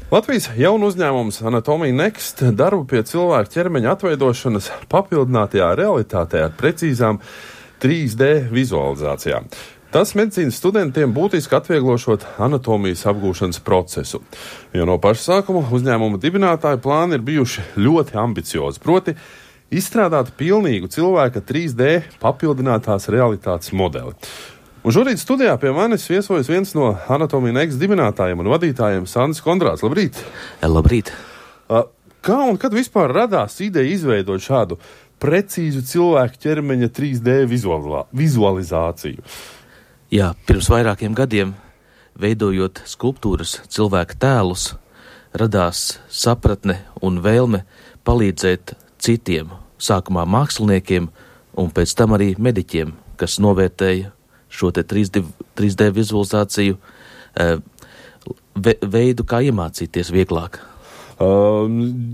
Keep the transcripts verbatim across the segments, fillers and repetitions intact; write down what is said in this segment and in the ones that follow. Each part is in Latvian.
Latvijas jaunu uzņēmums Anatomija Next darbu pie cilvēka ķermeņa atveidošanas papildinātajā realitātē ar precīzām trīs D vizualizācijām. Tas medicīnas studentiem būtiski atvieglošot anatomijas apgūšanas procesu. Jo no paša sākuma uzņēmuma dibinātāju plāni ir bijuši ļoti ambiciozi, proti izstrādāt pilnīgu cilvēka trīs D papildinātās realitātes modeli. Un šorīt studijā pie manis viesojas viens no Anatomija Next dibinātājiem un vadītājiem Sandis Kondrāts. Labrīt! Labrīt! Kā un kad vispār radās ideja izveidot šādu precīzu cilvēku ķermeņa trīs D vizualizāciju? Jā, pirms vairākiem gadiem, veidojot skulptūras cilvēka tēlus, radās sapratne un vēlme palīdzēt citiem, sākumā māksliniekiem un pēc tam arī mediķiem, kas novērtēja šo te trīs D vizualizāciju veidu, kā iemācīties vieglāk. Uh,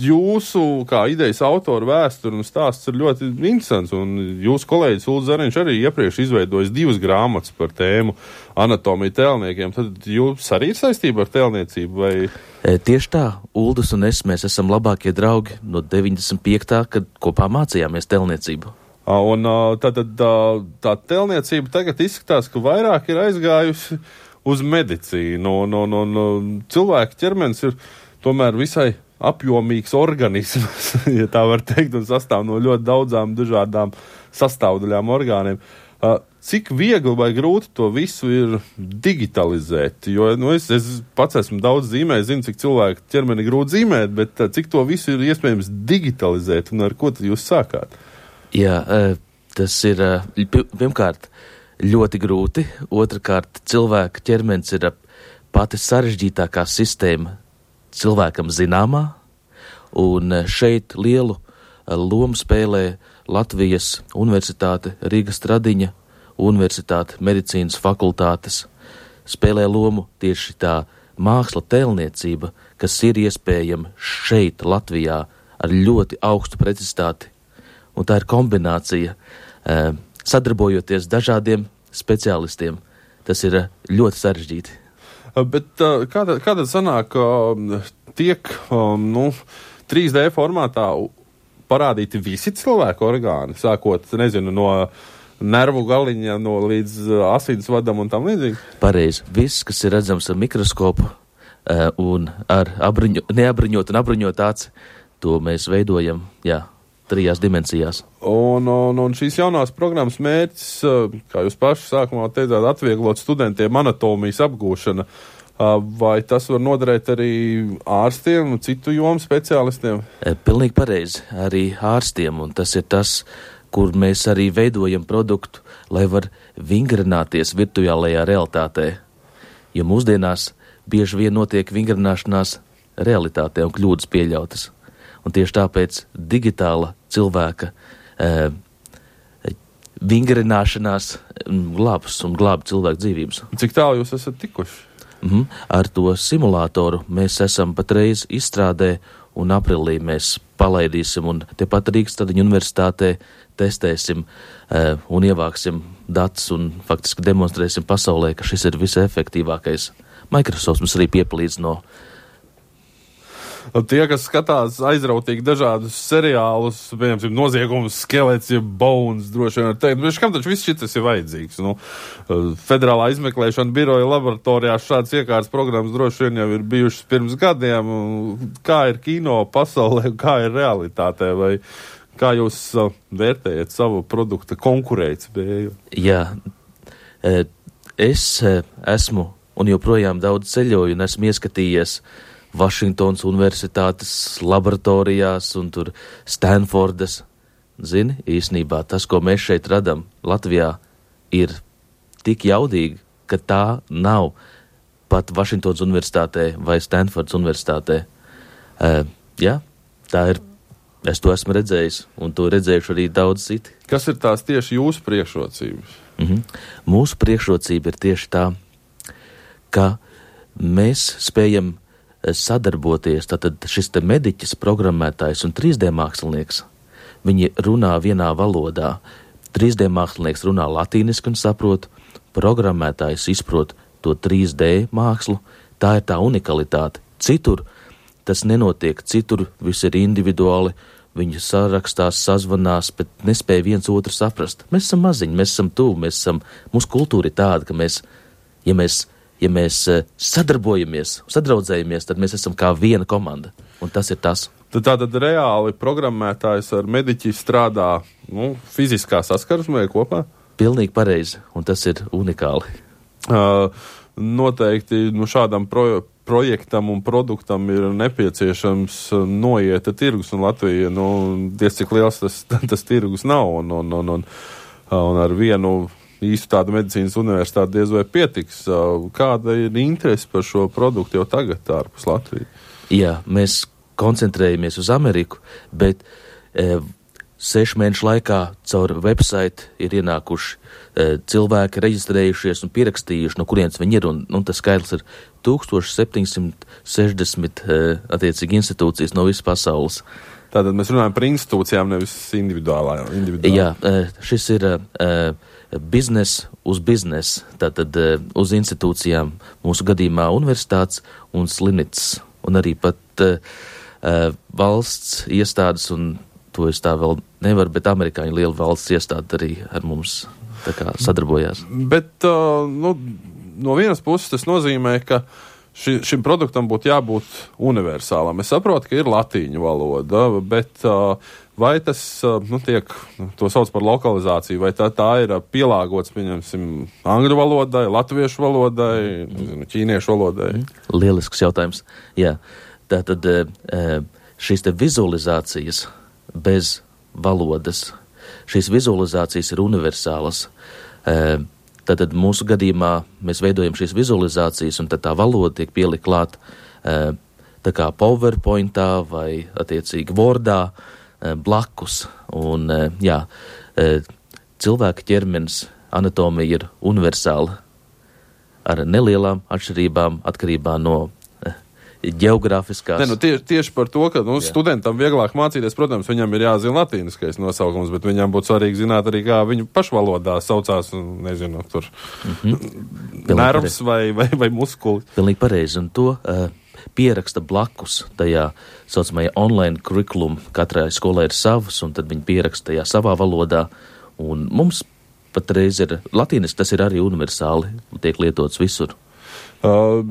jūsu, kā idejas autora vēsture un stāsts ir ļoti interesants, un jūsu kolēģis Ulris Zariņš arī iepriekš izveidojis divas grāmatas par tēmu anatomiju tēlniekiem. Tad jūs arī ir saistība ar tēlniecību? Vai? E, tieši tā, Uldis un es, mēs esam labākie draugi no deviņdesmit piektā, kad kopā mācījāmies tēlniecību. Un tad tā, tā tēlniecība tagad izskatās, ka vairāk ir aizgājusi uz medicīnu, un, un, un, un cilvēka ķermenis ir tomēr visai apjomīgs organisms, ja tā var teikt, un sastāv no ļoti daudzām dažādām sastāvdaļām orgāniem. Cik viegli vai grūti to visu ir digitalizēt? Jo nu, es, es pats esmu daudz zīmējis, zinu, cik cilvēku ķermeni grūti zīmēt, bet cik to visu ir iespējams digitalizēt, un ar ko tad jūs sākāt? Jā, tas ir pirmkārt ļoti grūti, otrkārt cilvēka ķermenis ir pati sarežģītākā sistēma cilvēkam zināmā, un šeit lielu lomu spēlē Latvijas Universitāte, Rīgas Stradiņa Universitāte, medicīnas fakultātes, spēlē lomu tieši tā māksla tēlniecība, kas ir iespējama šeit Latvijā ar ļoti augstu precizitāti, un tā ir kombinācija sadarbojoties dažādiem speciālistiem. Tas ir ļoti sarežģīti. Bet kāda, kāda sanāk tiek nu, trīs D formātā parādīti visi cilvēku orgāni, sākot, nezinu, no nervu galiņa no līdz asinsvadam un tam līdzīgi? Pareizi. Viss, kas ir redzams ar mikroskopu un ar abriņo, neabriņot un abriņot aci, to mēs veidojam, jā, trijās dimensijās. Un, un, un šīs jaunās programmas mērķis, kā jūs paši sākumā teicāt, atvieglot studentiem anatomijas apgūšana, vai tas var noderēt arī ārstiem un citu jomu speciālistiem? Pilnīgi pareizi, arī ārstiem, un tas ir tas, kur mēs arī veidojam produktu, lai var vingrināties virtuālajā realitātē. Jo mūsdienās bieži vien notiek vingrināšanās realitātē un kļūdas pieļautas. Un tieši tāpēc digitāla cilvēka e, vingrināšanās glābs un glāb cilvēku dzīvības. Cik tālu jūs esat tikuši? Mm-hmm. Ar to simulātoru mēs esam patreiz izstrādē, un aprīlī mēs palaidīsim, un tepat Rīgas Stradiņa universitātē testēsim e, un ievāksim datus, un faktiski demonstrēsim pasaulē, ka šis ir visefektīvākais. Microsoft mums arī piepalīdz no Tie, kas skatās aizrautīgi dažādus seriālus, piemēram, noziegums, skelets, ja bones, droši vien var teikt, bet kam taču viss šis ir vajadzīgs? Nu, Federālā izmeklēšana biroja laboratorijā šāds iekārtas programmas droši vien jau ir bijušas pirms gadiem. Kā ir kino pasaulē, kā ir realitātē, vai kā jūs vērtējat savu produkta konkurētspēju? Jā, es esmu un joprojām daudz ceļoju un esmu ieskatījies Vašingtonas universitātes laboratorijās un tur Stanfordas. Zini, īsnībā tas, ko mēs šeit radam Latvijā, ir tik jaudīgi, ka tā nav pat Vašingtonas universitātē vai Stanfordas universitātē. Uh, jā, tā ir. Es to esmu redzējis, un to redzējuši arī daudz citi. Kas ir tās tieši jūsu priekšrocības? Mm-hmm. Mūsu priekšrocība ir tieši tā, ka mēs spējam sadarboties, tātad šis te mediķis, programmētājs un trīs D mākslinieks, viņi runā vienā valodā. trīs D mākslinieks runā latīniski un saprot, programmētājs izprot to trīs D mākslu, tā ir tā unikalitāte. Citur tas nenotiek citur, viss ir individuāli, viņi sarakstās, sazvanās, bet nespēja viens otru saprast. Mēs esam maziņi, mēs esam tuvu, mēs esam, mūsu kultūra ir tāda, ka mēs, ja mēs, ja mēs sadarbojamies, sadraudzējamies, tad mēs esam kā viena komanda, un tas ir tas. Tad tātad reāli programmētājs ar mediķi strādā, nu, fiziskā saskarsmē kopā? Pilnīgi pareizi, un tas ir unikāli. Uh, noteikti, nu, šādam pro, projektam un produktam ir nepieciešams noiet tirgus, un Latvija, nu, diez cik liels tas, tas tirgus nav, un, un, un, un, un ar vienu īstu tādu medicīnas universitāti diez vai pietiks. Kāda ir interese par šo produktu jau tagad ārpus Latvijas? Jā, mēs koncentrējamies uz Ameriku, bet e, sešu mēnešu laikā caur website ir ienākuši e, cilvēki, reģistrējušies un pierakstījuši, no kurienes viņi ir, un, un tas skaitlis ir tūkstoš septiņsimt sešdesmit e, attiecīgi institūcijas no visas pasaules. Tātad mēs runājam par institūcijām, nevis individuālā. individuālā. Jā, e, šis ir e, biznes uz biznes, tātad e, uz institūcijām, mūsu gadījumā universitātes un slimnīcas, un arī pat e, Uh, valsts iestādes, un to es tā vēl nevaru, bet amerikāņu liela valsts iestāde arī ar mums tā kā sadarbojās. Bet, uh, nu, no vienas puses tas nozīmē, ka ši, šim produktam būtu jābūt universālam. Es saprotu, ka ir latīņu valoda, bet uh, vai tas, uh, nu, tiek, to sauc par lokalizāciju, vai tā, tā ir pielāgots, pieņemsim, angļu valodai, latviešu valodai, nezinu, ķīniešu valodai? Lielisks jautājums, jā. Tātad šīs te vizualizācijas bez valodas, šīs vizualizācijas ir universālas. Tātad mūsu gadījumā mēs veidojam šīs vizualizācijas, un tad tā valoda tiek pielikt klāt tā kā PowerPointā vai attiecīgi Wordā blakus. Un jā, cilvēka ķermenis anatomija ir universāla ar nelielām atšķirībām atkarībā no ģeogrāfiskās. Ne, nu, tieši, tieši par to, ka nu, studentam vieglāk mācīties, protams, viņam ir jāzina latīniskais nosaukums, bet viņam būtu svarīgi zināt arī, kā viņu pašvalodā saucās, nezinu, tur mm-hmm. nervs vai, vai, vai muskuli. Pilnīgi pareizi, un to uh, pieraksta blakus tajā saucamajā online curriculum. Katrai skolai ir savs, un tad viņi pieraksta tajā savā valodā, un mums patreiz ir latīniski, tas ir arī universāli, tiek lietots visur. Uh,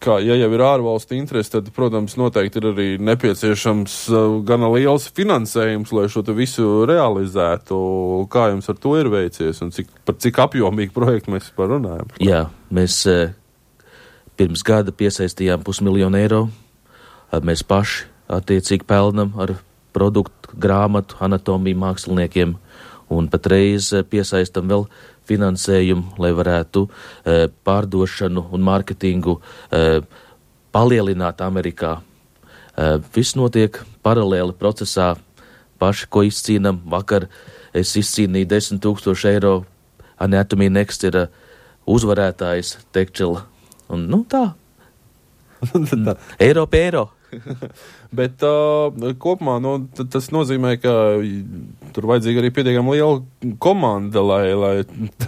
kā, ja jau ir ārvalstu interesi, tad, protams, noteikti ir arī nepieciešams uh, gana liels finansējums, lai šo te visu realizētu. Kā jums ar to ir veicies un cik, par cik apjomīgu projektu mēs par runājam? Jā, mēs uh, pirms gada piesaistījām pusmiljonu eiro. Uh, mēs paši attiecīgi pelnam ar produktu, grāmatu, anatomiju māksliniekiem, un patreiz uh, piesaistam vēl finansējumu, lai varētu e, pārdošanu un mārketingu e, palielināt Amerikā. E, viss notiek paralēli procesā. Paši, ko izcīnam, vakar es izcīnīju desmit tūkstoši eiro. Anatomy Next ir uzvarētājs Tekčela. Un, nu, tā. Eiro pie eiro. Bet uh, kopumā nu, t- tas nozīmē, ka tur vajadzīga arī pietiekami liela komanda, lai, lai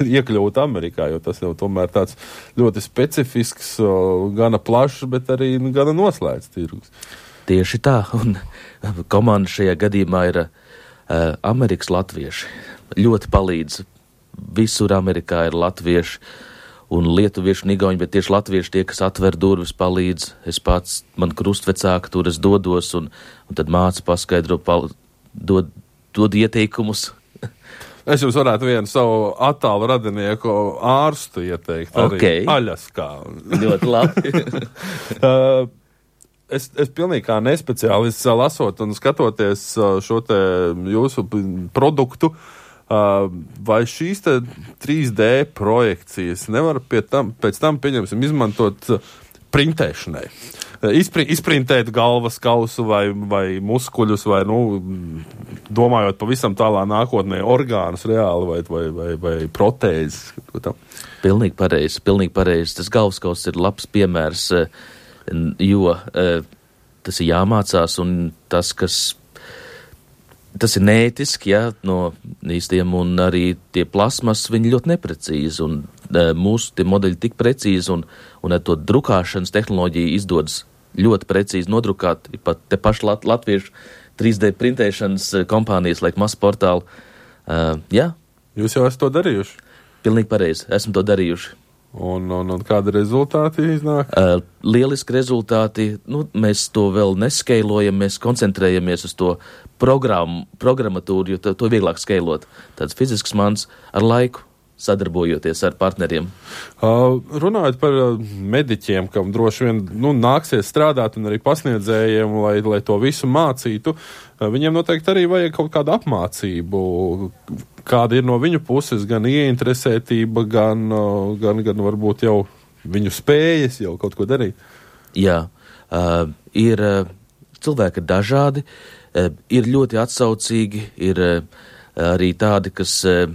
iekļūtu Amerikā, jo tas jau tomēr tāds ļoti specifisks, uh, gana plašs, bet arī nu, gana noslēgts tirgus. Tieši tā, un komanda šajā gadījumā ir uh, Amerikas latvieši. Ļoti palīdz. Visur Amerikā ir latvieši un lietuvieši un igauņi, bet tieši latvieši tie, kas atver durvis, palīdz. Es pats, man krustvecāki tur es dodos, un, un tad māca paskaidro, pal, dod, dod ieteikumus. Es jums varētu vienu savu attālu radinieku ārstu ieteikt, arī okay. Aļaskā. Ļoti labi. uh, es, es pilnīgi kā nespeciālists lasot un skatoties šo te jūsu produktu, Uh, vai šīs te trīs D projekcijas nevar pie tam, pēc tam, pieņemsim, izmantot printēšanai? Izpri, izprintēt galvas kausu vai, vai muskuļus vai, nu, domājot pavisam tālā nākotnē, orgānus reāli vai, vai, vai, vai protēzes? Pilnīgi pareizi, pilnīgi pareizi. Tas galvas kauss ir labs piemērs, jo tas ir jāmācās un tas, kas Tas ir neētiski, jā, no īstiem, un arī tie plasmas, viņi ļoti neprecīzi, un e, mūsu tie modeļi tik precīzi, un, un ar to drukāšanas tehnoloģiju izdodas ļoti precīzi nodrukāti, pat te paši lat, latviešu trīs D printēšanas kompānijas, laik masu portālu. Uh, jā. Jūs jau esat to darījuši? Pilnīgi pareizi, esmu to darījuši. Un, un, un kādi rezultāti iznāk? Uh, lieliski rezultāti, nu, mēs to vēl neskeilojam, mēs koncentrējamies uz to programmu, programmatūru, jo to, to vieglāk skeilot. Tāds fizisks mans ar laiku, sadarbojoties ar partneriem. Uh, runājot par mediķiem, kam droši vien nu, nāksies strādāt un arī pasniedzējiem, lai, lai to visu mācītu, uh, viņiem noteikti arī vajag kaut kādu apmācību. Kāda ir no viņu puses gan ieinteresētība, gan, uh, gan, gan varbūt jau viņu spējas jau kaut ko darīt? Jā, uh, ir uh, cilvēki dažādi, uh, ir ļoti atsaucīgi, ir uh, arī tādi, kas uh,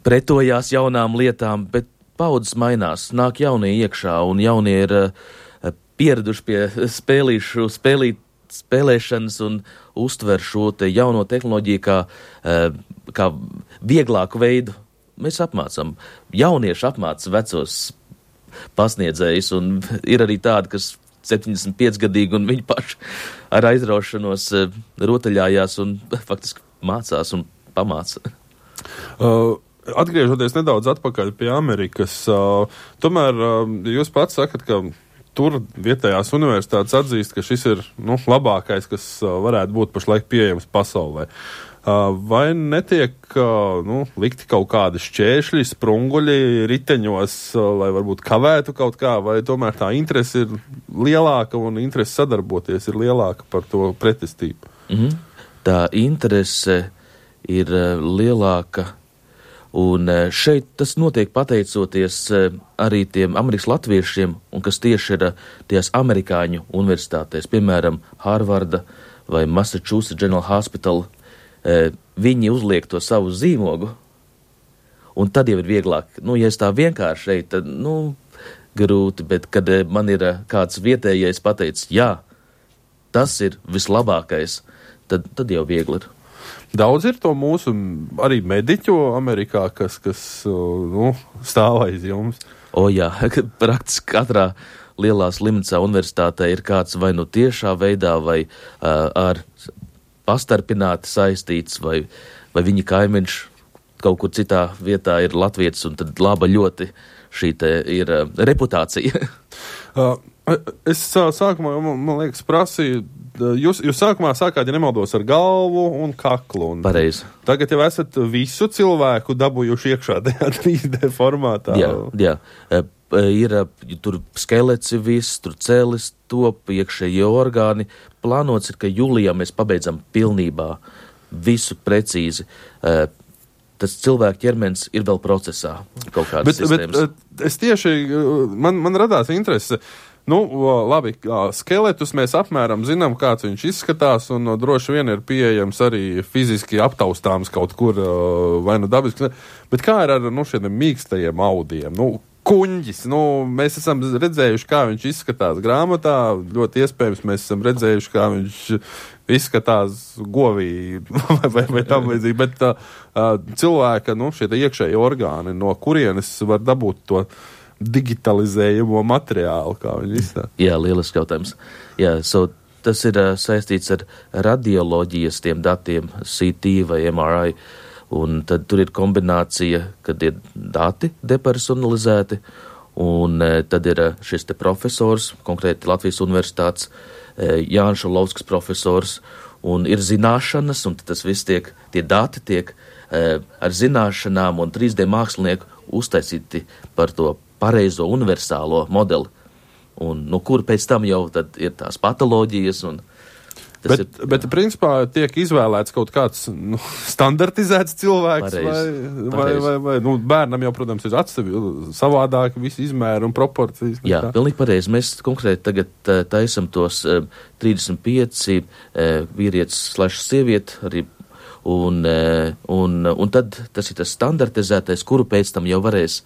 pretojās jaunām lietām, bet paudzes mainās, nāk jaunie iekšā, un jaunie ir uh, pieraduši pie spēlīšu, spēlīt, spēlēšanas un uztver šo te jauno tehnoloģiju kā, uh, kā vieglāku veidu. Mēs apmācam, jaunieši apmāca vecos pasniedzējus, un ir arī tādi, kas septiņdesmit pieci gadīgi, un viņi paši ar aizraušanos uh, rotaļājās un faktiski mācās un pamāca. Uh, atgriežoties nedaudz atpakaļ pie Amerikas, uh, tomēr uh, jūs pats sakat, ka tur vietējās universitātes atzīst, ka šis ir nu, labākais, kas uh, varētu būt pašlaik pieejams pasaulē. Uh, vai netiek uh, nu, likti kaut kādi šķēršļi, sprunguļi riteņos, uh, lai varbūt kavētu kaut kā, vai tomēr tā interese ir lielāka un interese sadarboties ir lielāka par to pretestību? Mm-hmm. Tā interese ir uh, lielāka, un uh, šeit tas notiek pateicoties uh, arī tiem Amerikas latviešiem, un kas tieši ir uh, tajās amerikāņu universitātēs, piemēram, Harvarda vai Massachusetts General Hospital, uh, viņi uzliek to savu zīmogu, un tad jau ir vieglāk. Nu, ja es tā vienkārši šeit, tad, nu, grūti, bet kad uh, man ir uh, kāds vietējais pateicis, jā, tas ir vislabākais, tad, tad jau viegli ir. Daudz ir to mūsu arī mediķu Amerikā, kas, kas nu, stāv aiz jums. O jā, praktiski katrā lielā slimnīcā universitātē ir kāds vai nu tiešā veidā, vai uh, ar pastarpināti saistīts, vai, vai viņa kaimiņš kaut kur citā vietā ir latvietis, un tad laba ļoti šī te ir uh, reputācija. uh, es sākumā, man, man liekas, prasīju, Jūs, jūs sākumā sākāt, ja nemaldos, ar galvu un kaklu. Un Pareizi. Tagad jau esat visu cilvēku dabūjuši iekšā tajā trīs D formātā. Jā, jā. Ir tur skelets viss, tur cēlis top, iekšējie orgāni. Plānots ir, ka jūlijā mēs pabeidzam pilnībā visu precīzi. Tas cilvēku ķermenis ir vēl procesā kaut kādas bet, sistēmas. Bet es tieši, man, man radās interese. Nu, labi, skeletus mēs apmēram zinām, kāds viņš izskatās, un droši vien ir pieejams arī fiziski aptaustāms kaut kur, vai nu dabiski. Bet kā ir ar nu, šiem mīkstajiem audiem? Nu, kuņģis, nu, mēs esam redzējuši, kā viņš izskatās grāmatā, ļoti iespējams mēs esam redzējuši, kā viņš izskatās govī vai, vai, vai tam līdzīgi, bet uh, cilvēka, nu, šie iekšēji orgāni, no kurienes var dabūt to digitalizējumu materiālu, kā viņi izstāsta. Jā, lielisks jautājums. Jā, so, tas ir uh, saistīts ar radioloģijas tiem datiem, C T vai M R I, un tad tur ir kombinācija, kad ir dati depersonalizēti, un uh, tad ir uh, šis te profesors, konkrēti Latvijas universitātes, uh, Jānis Šulovskis profesors, un ir zināšanas, un tas viss tiek, tie dati tiek uh, ar zināšanām un trīs D mākslinieku uztaisīti par to pareizo universālo modeli, un no kur pēc tam jau tad ir tās patoloģijas. Un tas bet, ir, bet principā tiek izvēlēts kaut kāds nu, standartizēts cilvēks, Pareiz, vai, vai, vai, vai nu, bērnam jau, protams, ir atsevi savādāk visi izmēri un proporcijas. Jā, pilnīgi pareizi. Mēs konkrēti tagad uh, taisam tos uh, trīsdesmit pieci uh, vīrietis slash sievieti arī, un, uh, un, un tad tas ir tas standartizētais, kuru pēc tam jau varēs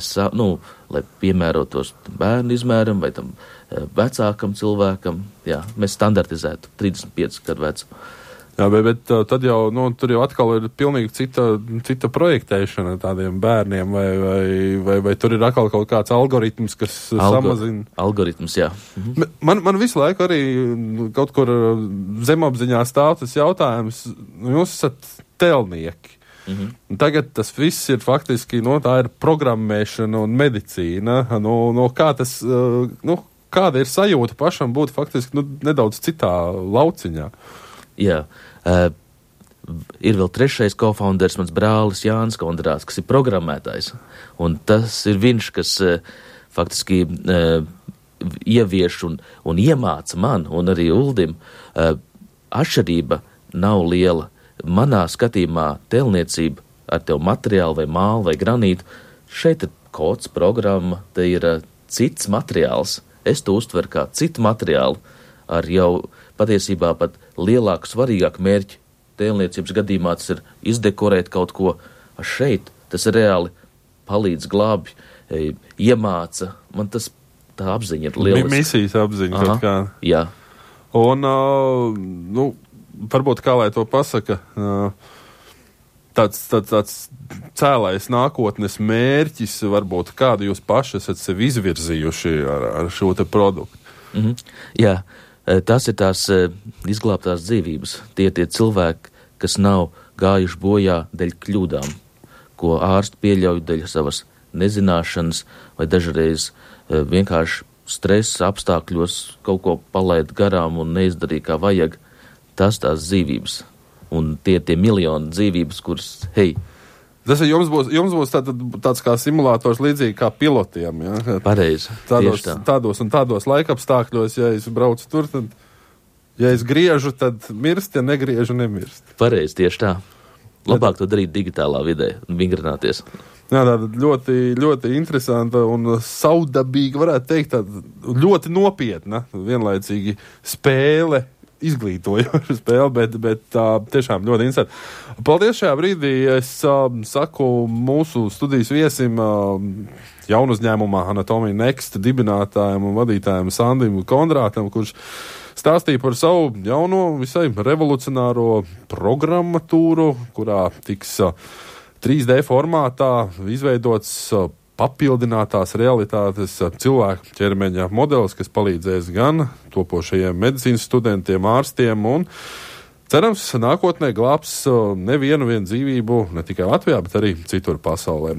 Sa, nu, lai piemērotos bērnu izmēram vai tam vecākam cilvēkam. Jā, mēs standartizētu trīsdesmit pieci gadu vecu. Jā, bet, bet tad jau, nu, tur jau atkal ir pilnīgi cita, cita projektēšana tādiem bērniem, vai, vai, vai, vai tur ir atkal kaut kāds algoritms, kas Algo, samazina. Algoritms, jā. Mhm. Man, man visu laiku arī kaut kur zemapziņā stāv tas jautājums, nu, jūs esat telnieki. Mhm. Tagad tas viss ir faktiski, nu, tā ir programmēšana un medicīna. Nu, nu, kā tas, nu, kāda ir sajūta pašam būt faktiski, nu, nedaudz citā lauciņā? Jā, uh, ir vēl trešais kofounders, mans brālis Jānis Kondrāts, kas ir programmētājs. Un tas ir viņš, kas uh, faktiski uh, ievieš un, un iemāca man un arī Uldim. Uh, atšķirība nav liela. Manā skatījumā telniecība ar tev materiālu vai mālu vai granītu, šeit ir kods, programma, te ir uh, cits materiāls. Es to uztveru kā citu materiālu ar jau patiesībā pat lielāku, svarīgāku mērķi. Tēlniecības gadījumā tas ir izdekorēt kaut ko. A šeit tas reāli palīdz, glābj, e, iemāca. Man tas tā apziņa ir lieliska. Misijas apziņa kaut kā. Jā. Un, uh, nu, varbūt kā lai to pasaka, uh, tāds, tāds, tāds cēlais nākotnes mērķis, varbūt kādu jūs paši esat sevi izvirzījuši ar, ar šo te produktu. Mhm. Jā. Tas ir tās izglābtās dzīvības. Tie tie cilvēki, kas nav gājuši bojā dēļ kļūdām, ko ārsti pieļauj dēļ savas nezināšanas vai dažreiz vienkārši stresa apstākļos kaut ko palaid garām un neizdarīja kā vajag. Tas tās dzīvības. Un tie tie miljoni dzīvības, kuras, hei, tas ir, jums būs, jums būs tā, tāds kā simulators līdzīgi kā pilotiem. Ja? Pareizi, tādos, tā. tādos un tādos laikapstākļos, ja es braucu tur, tad, ja es griežu, tad mirst, ja negriežu, nemirst. Pareizi, tieši tā. Labāk to darīt digitālā vidē un vingrināties. Jā, tāda ļoti, ļoti interesanta un saudabīga, varētu teikt, tāda ļoti nopietna, vienlaicīgi spēle, izglītojoša spēle, bet, bet tā tiešām ļoti interesanti. Paldies šajā brīdī. Es uh, saku mūsu studijas viesim, uh, jaunu uzņēmumā Anatomija Next dibinātājiem un vadītājiem Sandim Kondrātam, kurš stāstīja par savu jauno, visai revolucionāro programmatūru, kurā tiks uh, trīs D formātā izveidots uh, papildinātās realitātes cilvēku ķermeņa modelis, kas palīdzēs gan topošajiem medicīnas studentiem, ārstiem un, cerams, nākotnē glābs nevienu vienu dzīvību ne tikai Latvijā, bet arī citur pasaulē.